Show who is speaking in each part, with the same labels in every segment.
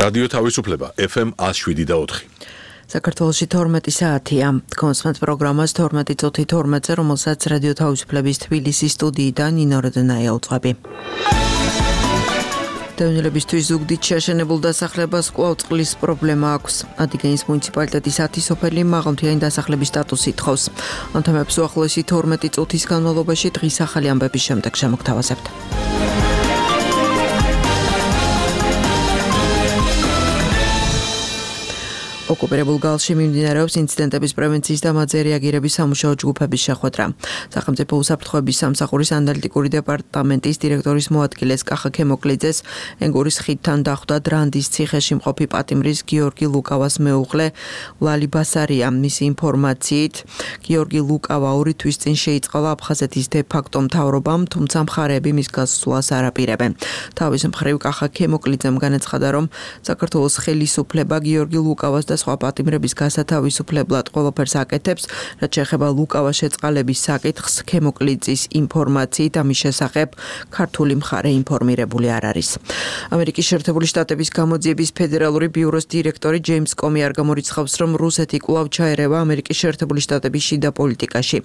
Speaker 1: რადიო თავისუფლება FM 107.4.
Speaker 2: საქართველოში 12 საათია. კონსმენთ პროგრამას 12:12-ზე, რომელსაც რადიო თავისუფლების თბილისის სტუდიიდან ნინო როდენაია უძღვები. დევნილებისთვის ზუგდიდ შეშენებულ დასახლებას კვლავ წყლის პრობლემა აქვს. ადიგენის მუნიციპალიტეტის 10 სოფელი მაღალმთიანი დასახლების სტატუსს ითხოვს. ამ თემებს უახლოესი 12 წუთის განმავლობაში დღის ახალი ამბების შემდეგ შემოგთავაზებთ. ოკუპირებულ გალში მიმდინარეობს ინციდენტების პრევენციის და მათზე რეაგირების სამუშაო ჯგუფების შეხვედრა. სახელმწიფო უსაფრთხოების სამსახურის ანალიტიკური დეპარტამენტის დირექტორის მოადგილეს კახა ქემოკლიძეს ენგურის ხიდთან დახვდა დრანდის ციხეში მყოფი პატიმრის გიორგი ლუკავას მეუღლე ლალი ბასარია. მისი ინფორმაციით, გიორგი ლუკავა 2 თვის წინ შეიწყალა აფხაზეთის დე-ფაქტო მთავრობამ, თუმცა მხარეები მის გასვლას არ აპირებენ. თავის მხრივ კახა ქემოკლიძემ განაცხადა, რომ საქართველოს ხელისუფლება გიორგი ლუკავას და სხვა პატიმრების გასათავისუფლებლად ყველაფერს აკეთებს, რაც შეეხება ლუკავას შეწყალების საკითხს. ქემოკლიძის ინფორმაციით ამის შესახებ ქართული მხარე ინფორმირებული არ არის. ამერიკის შეერთებული შტატების გამოძიების ფედერალური ბიუროს დირექტორი ჯეიმს კომი არ გამორიცხავს, რომ რუსეთი კვლავ ჩაერევა ამერიკის შეერთებული შტატების შიდა პოლიტიკაში.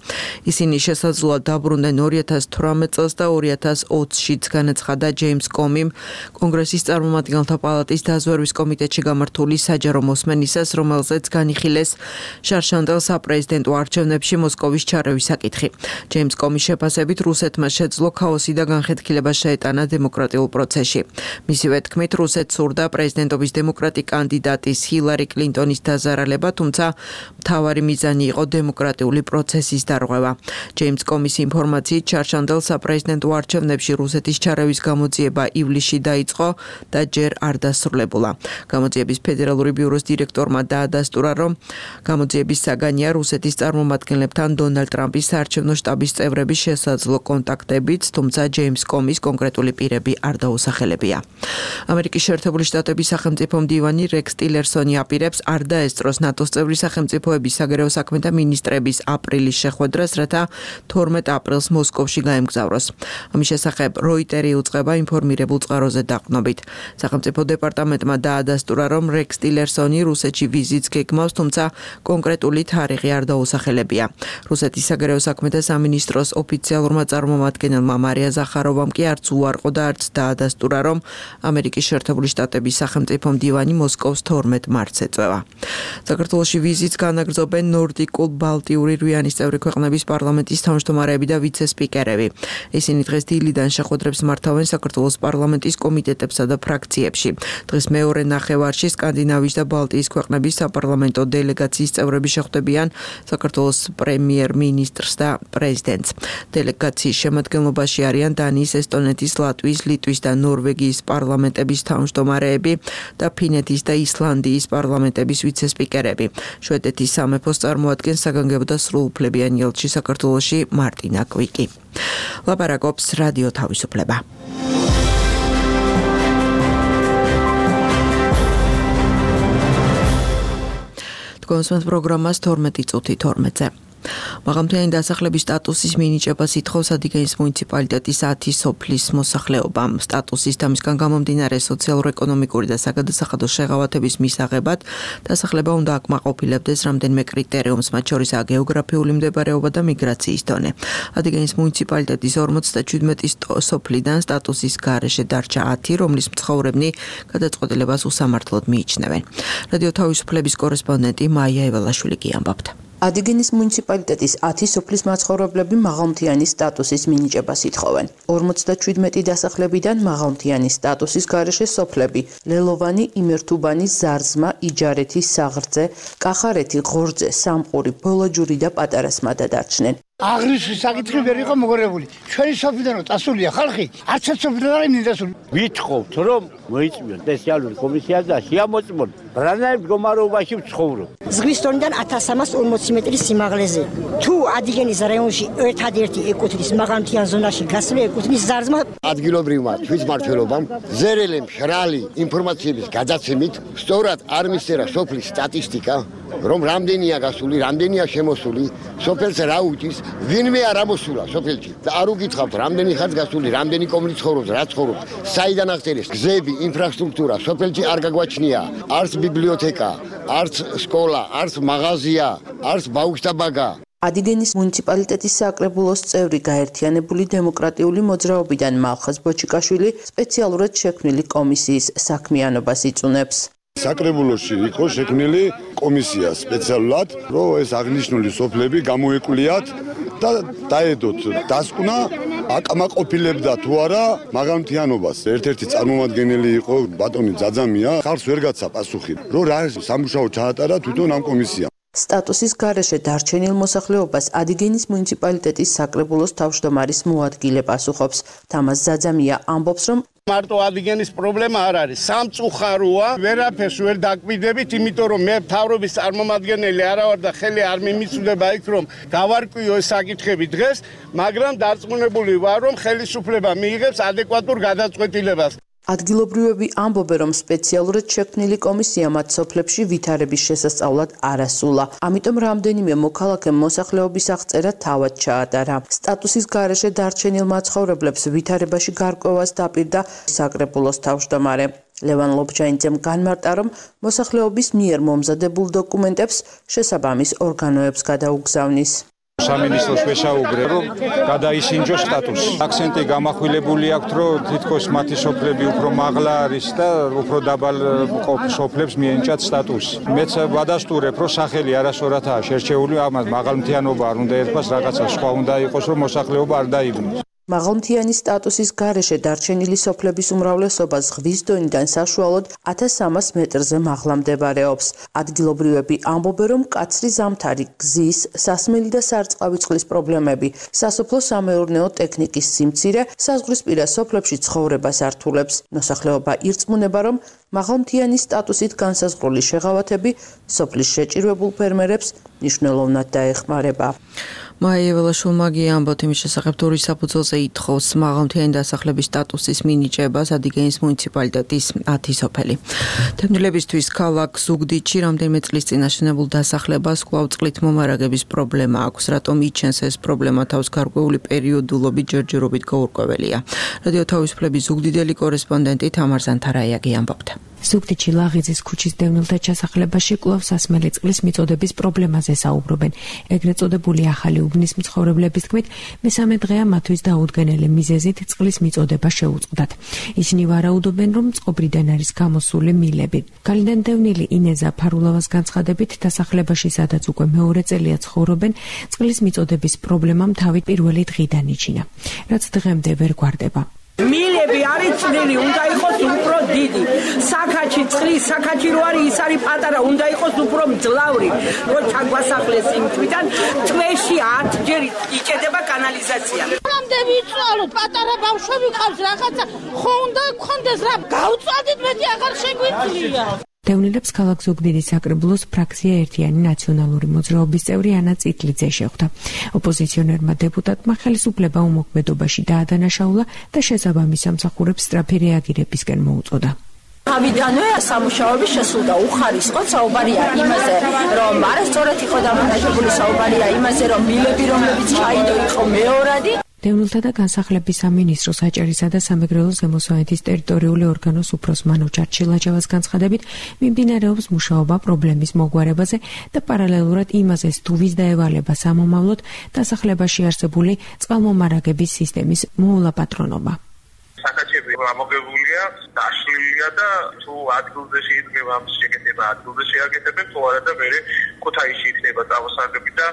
Speaker 2: ისინი შესაძლოა დაბრუნდნენ 2018 წელს და 2020-შიც, განაცხადა ჯეიმს კომიმ კონგრესის წარმომადგენელთა პალატის დაზვერვის კომიტეტში გამართული საჯარო მოსმენისა, რომელზეც განიხილეს შარშანდელ საპრეზიდენტო არჩევნებში მოსკოვის ჩარევის საკითხი. ჯეიმს კომის შეფასებით რუსეთმა შეძლო ქაოსი და განხეთქილება შეეტანა დემოკრატიულ პროცესში. მისივე თქმით, რუსეთს სურდა პრეზიდენტობის დემოკრატი კანდიდატის ჰილარი კლინტონის დაზარალება, თუმცა მთავარი მიზანი იყო დემოკრატიული პროცესის დარღვევა. ჯეიმს კომის ინფორმაციით, შარშანდელ საპრეზიდენტო არჩევნებში რუსეთის ჩარევის გამოძიება ივლისში დაიწყო და ჯერ არ დასრულებულა. გამოძიების ფედერალური ბიუროს დირექტორმა დაადასტურა, რომ გამოძიების საგანია რუსეთის წარმომადგენლებთან დონალდ ტრამპის საარჩევნო შტაბის წევრების შესაძლო კონტაქტებიც, თუმცა ჯეიმს კომის კონკრეტული პირები არ დაუსახელებია. ამერიკის შეერთებული შტატების სახელმწიფო მდივანი რექს ტილერსონი აპირებს არ დაესწროს ნატოს წევრი სახელმწიფოების საგარეო საქმეთა მინისტრების აპრილის შეხვედრას, რათა 12 აპრილს მოსკოვში გაემგზავროს. ამის შესახებ როიტერი უწყება ინფორმირებულ წყაროზე დაყრდნობით. სახელმწიფო დეპარტამენტმა დაადასტურა, რომ რექს ტილერსონი რუსეთში ვიზიტს გეგმავს, თუმცა კონკრეტული თარიღი არ დაუსახელებია. რუსეთის საგარეო საქმეთა სამინისტროს ოფიციალურმა წარმომადგენელმა მარია ზახაროვამ კი არც უარყო და არც დაადასტურა, რომ ამერიკის შეერთებული შტატების სახელმწიფო მდივანი მოსკოვს 12 მარტს ეწევა. საქართველოში ვიზიტს განაგრძობენ ნორდიკულ ბალტიური რვიანის წევრი ქვეყნების პარლამენტის თავმჯდომარეები და ვიცე-სპიკერები. ისინი დღეს დილიდან შეხვედრებს მართავენ საქართველოს პარლამენტის კომიტეტებსა და ფრაქციებში. დღეს მეორე ნახევარში სკანდინავიის და ბალტიის ქვეყნების საპარლამენტო დელეგაციის წევრები შეხვდებიან საქართველოს პრემიერ-მინისტრს და პრეზიდენტს. დელეგაციის შემადგენლობაში არიან დანიის, ესტონეთის, ლატვიის, ლიტვის და ნორვეგიის პარლამენტების თავმჯდომარეები და ფინეთის და ისლანდიის პარლამენტების ვიცე-სპიკერები. შვედეთის სამეფოს წარმოადგენს საგანგებო და სრულუფლებიანი ელჩი საქართველოში მარტინა კვიკი. ლაპარაკობს რადიო თავისუფლება. კონსმენთ პროგრამას 12:12-ზე. მაღალმთიანი დასახლების სტატუსის მინიჭებას ითხოვს ადიგენის მუნიციპალიტეტის 10 სოფლის მოსახლეობამ. სტატუსის და მისგან გამომდინარე სოციალურ-ეკონომიკური და საგადასახადო შეღავათების მისაღებად დასახლება უნდა აკმაყოფილებდეს რამდენიმე კრიტერიუმს, მათ შორისაა გეოგრაფიული მდებარეობა და მიგრაციის დონე. ადიგენის მუნიციპალიტეტის 47 სოფლიდან სტატუსის გარეშე დარჩა 10, რომლის მცხოვრებნი გადაწყვეტილებას უსამართლოდ მიიჩნევენ. რადიო თავისუფლების კორესპონდენტი მაია ეველაშვილი კი ამბობთ.
Speaker 3: ადიგენის მუნიციპალიტეტის 10 სოფლის მაცხოვრებლები მაღალმთიანი სტატუსის მინიჭებას ითხოვენ. 57 დასახლებიდან მაღალმთიანი სტატუსის გარეშე სოფლები: ლელოვანი, იმერთუბანი, ზარზმა, იჯარეთი, საღრძე, კახარეთი, ღორძე, სამყური, ბოლაჯური და პატარა სმადა დარჩნენ.
Speaker 4: აღრიცხვის საკითხი ვერ იყო მოგორებული. ჩვენი სოფლიდან რომ წასულია ხალხი, არც ერთ სოფლიდან არ მინდა დასული.
Speaker 5: ვითხოვთ, რომ მოიწვიონ სპეციალური კომისია და შეამოწმონ რანაირ მდგომარეობაში ვცხოვრობ.
Speaker 6: ზღვის დონიდან 1340 მეტრის სიმაღლეზე. თუ ადიგენის რაიონში ერთადერთი ეკუთვნის მაღალმთიან ზონაში გასული ეკუთვნის ზარზმა.
Speaker 7: ადგილობრივმა თვითმმართველობამ ზერელი მშრალი ინფორმაციების გადაცემით სწორად არ მისწერა სოფლის სტატისტიკა, რომ რამდენია გასული, რამდენია შემოსული, სოფელს რა უჭის, ვინმე არ ამოსულა სოფელში. და არ უკითხავთ, რამდენი ხანს გასული, რამდენი კომლი ცხოვრობს, რა ცხოვრობს, საიდან აღწერეს გზები, ინფრასტრუქტურა სოფელში არ გაგვაჩნია, არც ბიბლიოთეკა, არც სკოლა, არც მაღაზია, არც ბაუქშტაბაგა.
Speaker 3: ადიგენის მუნიციპალიტეტის საკრებულოს წევრი გაერთიანებული დემოკრატიული მოძრაობიდან მალხაზ ბოჩიკაშვილი სპეციალურად შექმნილი კომისიის საქმიანობას იწუნებს.
Speaker 8: საკრებულოში იყო შექმნილი კომისია სპეციალურად, რომ ეს აღნიშნული სოფლები გამოეკვლიათ და დაედოთ დასკვნა აკმაყოფილებდა თუ არა მაღალმთიანობას. ერთ-ერთი წარმომადგენელი იყო ბატონი ძაძამია, ხალხს ვერ გაცა პასუხი, რომ რა სამუშაო ჩაატარა თვითონ ამ კომისიამ.
Speaker 3: სტატუსის გარეშე დარჩენილ მოსახლეობას ადიგენის მუნიციპალიტეტის საკრებულოს თავმჯდომარის მოადგილე პასუხობს. თამაზ ძაძამია ამბობს, რომ
Speaker 9: მარტო ადიგენის პრობლემა არ არის. სამწუხაროა, ვერაფერს ვერ დაკვირდებით, იმიტომ რომ მე მთავრობის წარმომადგენელი არა ვარ და ხელი არ მიმიწვდება იქ, რომ დავარკვიო ეს საკითხები დღეს, მაგრამ დარწმუნებული ვარ, რომ ხელისუფლება მიიღებს ადეკვატურ გადაწყვეტილებას. ადგილობრივები ამბობენ, რომ სპეციალურად შექმნილი კომისია მათ სოფლებში ვითარების შესასწავლად არ ასულა. ამიტომ რამდენიმე მოქალაქემ მოსახლეობის აღწერა თავად ჩაატარა. სტატუსის გარეშე დარჩენილ მაცხოვრებლებს ვითარებაში გარკვევას დაპირდა საკრებულოს თავმჯდომარე. ლევან ლობჯანიძემ განმარტა, რომ მოსახლეობის მიერ მომზადებულ დოკუმენტებს შესაბამის ორგანოებს გადაუგზავნის.
Speaker 10: სამინისტროს ვესაუბრე, რომ გადაისინჯოს სტატუსი. აქცენტი გამახვილებული აქვს, რომ თითქოს მათი სოფლები უფრო მაღლა არის და უფრო დაბალ სოფლებს მიენიჭათ სტატუსი. მეც ვადასტურებ, რომ სახელი არასორათაა შერჩეული, ამას მაღალმთიანობა არ უნდა ერქვა, რაღაცა სხვა უნდა იყოს, რომ მოსახლეობა არ დაიბნოს.
Speaker 3: მაღალმთიანი სტატუსის გარეშე დარჩენილი სოფლების უმრავლესობა ზღვის დონიდან საშუალოდ 1300 მეტრზე მაღლა მდებარეობს. ადგილობრივები ამბობენ, რომ მკაცრი ზამთარი, გზის, სასმელი და სარწყავი წყლის პრობლემები, სასოფლო-სამეურნეო ტექნიკის სიმცირე საზღვრისპირა სოფლებში ცხოვრებას ართულებს. მოსახლეობა ირწმუნება, რომ მაღალმთიანი სტატუსით განსაზღვრული შეღავათები სოფლის შეჭირვებულ ფერმერებს მნიშვნელოვნად დაეხმარება.
Speaker 2: მაია ველაშვილმა ამბობთ იმის შესახებ, თუ რის საფუძველზე ითხოვს მაღალმთიანი დასახლების სტატუსის მინიჭებას ადიგენის მუნიციპალიტეტის 10 სოფელი. თემნილებისთვის ქალაქ ზუგდიდში რამდენიმე წლის წინ აშენებულ დასახლებას კვლავ წყლით მომარაგების პრობლემა აქვს, რატომ იჩენს ეს პრობლემა თავს გარკვეული პერიოდულობით ჯერჯერობით გაურკვეველია. რადიო თავისუფლების ზუგდიდელი კორესპონდენტი თამარ ზანთარაიაგი ამბობდა.
Speaker 11: ზუგდიდში ლაღიძის ქუჩის დევნილთა ჩასახლებაში კვლავ სასმელი წყლის მიწოდების პრობლემაზე საუბრობენ. ეგრეთ წოდებული ახალი უბნის მცხოვრებლების თქმით, მესამე დღეა მათთვის დაუდგენელი მიზეზით წყლის მიწოდება შეუწყდათ. ისინი ვარაუდობენ, რომ წყობრიდან არის გამოსული მილები. გალიდან დევნილი ინეზა ფარულავას განცხადებით, დასახლებაში სადაც უკვე მეორე წელია ცხოვრობენ, წყლის მიწოდების პრობლემამ თავი პირველი დღიდან იჩინა, რაც დღემდე ვერ გვარდება.
Speaker 12: მილები არის წვრილი, უნდა იყოს უფრო დიდი. საქაჩი წყლის, საქაჩი რო არის, ის არის პატარა, უნდა იყოს უფრო მძლავრი. რო ჩაგვასახლეს იმ თვითონ თვეში 10 ჯერ იჭედება კანალიზაცია.
Speaker 13: რამდენი ვიცვალოთ, პატარა ბავშვები ყავს რაღაცა, ხო უნდა გქონდეს რა, გავწვადით მეტი აღარ შეგვიძლია.
Speaker 11: დევნილებს ქალაქ ზუგდიდის საკრებულოს ფრაქცია ერთიანი ნაციონალური მოძრაობის წევრი ანა წითლიძე შეხვდა. ოპოზიციონერმა დეპუტატმა ხელისუფლება უმოქმედობაში დაადანაშაულა და შესაბამის სამსახურებს სწრაფი რეაგირებისკენ მოუწოდა.
Speaker 12: ავიდანვე სამუშაოები შესულდა, უხარისხოდ საუბარია იმაზე, რომ არასწორად იყო დამონტაჟებული, საუბარია იმაზე, რომ მილები, რომლებიც ჩაიდო, იყო მეორადი.
Speaker 11: დევნილთა და განსახლების სამინისტროს საჭერისა და სამეგრელო ზემოსვანეთის ტერიტორიული ორგანოს უფროს მანო ჩარჩილაჯავას განცხადებით, მიმდინარეობს მუშაობა პრობლემის მოგვარებაზე და პარალელურად იმაზე, თუ ვის დაევალება სამომავლოდ დასახლებაში არსებული წყალმომარაგების სისტემის მოულაპატრონობა.
Speaker 14: საკაჩები ამოგებულია, დაშლილია და თუ ადგილზე შეიძლება ამ შეკეთება, ადგილზე შეაკეთებენ, თუ არა და მერე ქუთაისში იქნება წამოსაგები და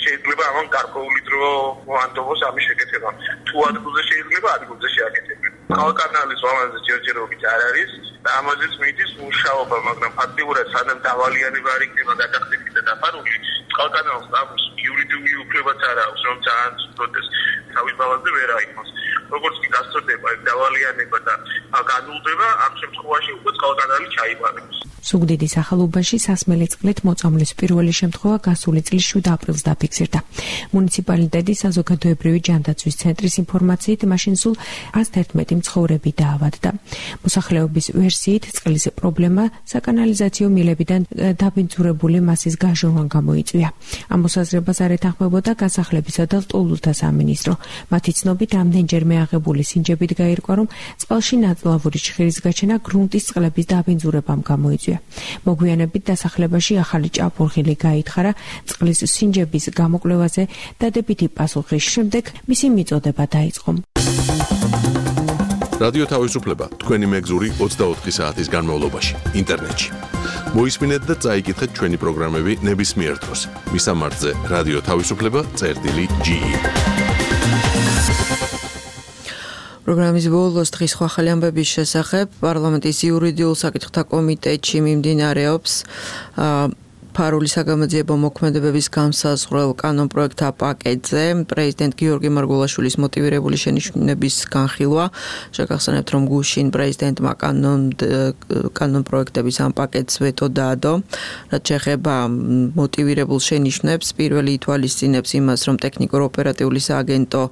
Speaker 14: შეიძლება ამან გარკვეული დრო მოანდობოს ამის შეკეთება. თუ ადგილზე შეიძლება, ადგილზე შეაკეთებენ. ქალაქანალის ვამანზე ჯერჯერობით არ არის და ამაზეც მიდის მუშაობა, მაგრამ ფაქტიურად სანამ დავალიანება არ იქნება გადახდილი და დაფარული, ქალაქანალს ამის იურიდიული უფლებაც არ აქვს, რომ ძალიან სრულად თავის ბალანსზე ვერ აიღოს. როგორც კი გასწორდება დავალიანება და განულდება, ამ შემთხვევაში უკვე წყალკანალი ჩაიბარებს.
Speaker 11: ზუგდიდის ახალუბანში სასმელი წყლით მოწამვლის პირველი შემთხვევა გასული წლის 7 აპრილს დაფიქსირდა. მუნიციპალიტეტის საზოგადოებრივი ჯანდაცვის ცენტრის ინფორმაციით, მაშინ სულ 111 მცხოვრები დაავადდა. მოსახლეობის ვერსიით, წყლის პრობლემა საკანალიზაციო მილებიდან დაბინძურებული მასის გაჟონვამ გამოიწვია. ამ მოსაზრებას არ ეთანხმებოდა გასახლებისა და ლტოლვილთა სამინისტრო. მათი ცნობით, ამდენჯერმე აღებული სინჯებით გაირკვა, რომ წყალში ნაწლავური ჭხირის გაჩენა გრუნტის წყლების დაბინძურებამ გამოიწვია. მოგვიანებით დასახლებაში ახალი ჭაბურღილი გაითხარა წყლის სინჯების გამოკვლევაზე დადებითი პასუხის შემდეგ მისი მიწოდება დაიწყო.
Speaker 1: რადიო თავისუფლება თქვენი მეგზური 24 საათის განმავლობაში ინტერნეტში. მოისმინეთ და წაიკითხეთ ჩვენი პროგრამები ნებისმიერ დროს. მისამართზე რადიო თავისუფლება.ge.
Speaker 2: პროგრამის ბოლოს დღის სხვა ახალი ამბების შესახებ პარლამენტის იურიდიულ საკითხთა კომიტეტში მიმდინარეობს ფარული საგამოძიებო მოქმედებების განსაზღვრელ კანონპროექტთა პაკეტზე პრეზიდენტ გიორგი მარგულაშვილის მოტივირებული შენიშვნების განხილვა. შეგახსენებთ, რომ გუშინ პრეზიდენტმა კანონპროექტების ამ პაკეტს ვეტო დაადო, რაც შეეხება მოტივირებულ შენიშვნებს. პირველი ითვალისწინებს იმას, რომ ტექნიკურ-ოპერატიული სააგენტო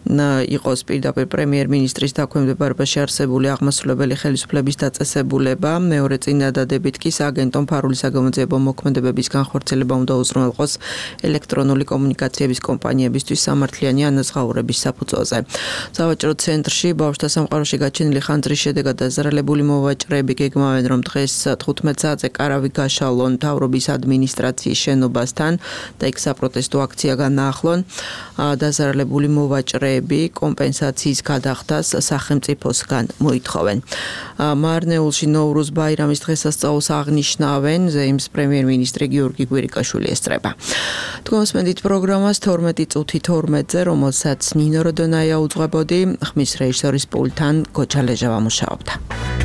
Speaker 2: იყოს პირდაპირ პრემიერ-მინისტრის დაქვემდებარებაში არსებული აღმასრულებელი ხელისუფლების დაწესებულება. მეორე წინადადებით კი სააგენტომ ფარული საგამოძიებო მოქმედებების განხორციელება უნდა უზრუნველყოს ელექტრონული კომუნიკაციების კომპანიებისთვის სამართლიანი ანაზღაურების საფუძველზე. სავაჭრო ცენტრში ბავშვთა სამყაროში გაჩენილი ხანძრის შედეგად დაზარალებული მოვაჭრეები გეგმავენ, რომ დღეს 15 საათზე კარავი გაშალონ მთავრობის ადმინისტრაციის შენობასთან და იქ საპროტესტო აქცია განაახლონ. დაზარალებული მოვაჭრეები კომპენსაციის გადახდას სახელმწიფოსგან მოითხოვენ. მარნეულში ნოვრუზ ბაირამის დღესასწაულს აღნიშნავენ, ზეიმს პრემიერ-მინისტრი გიორგი კვირიკაშვილი ესწრება. თქვენ მოსმენთ პროგრამას 12 წუთი 12-ზე, რომელსაც ნინო როდონაია უძღვებოდი, ხმის რეჟისორის პულტთან გოჩა ლეჟავა მუშაობდა.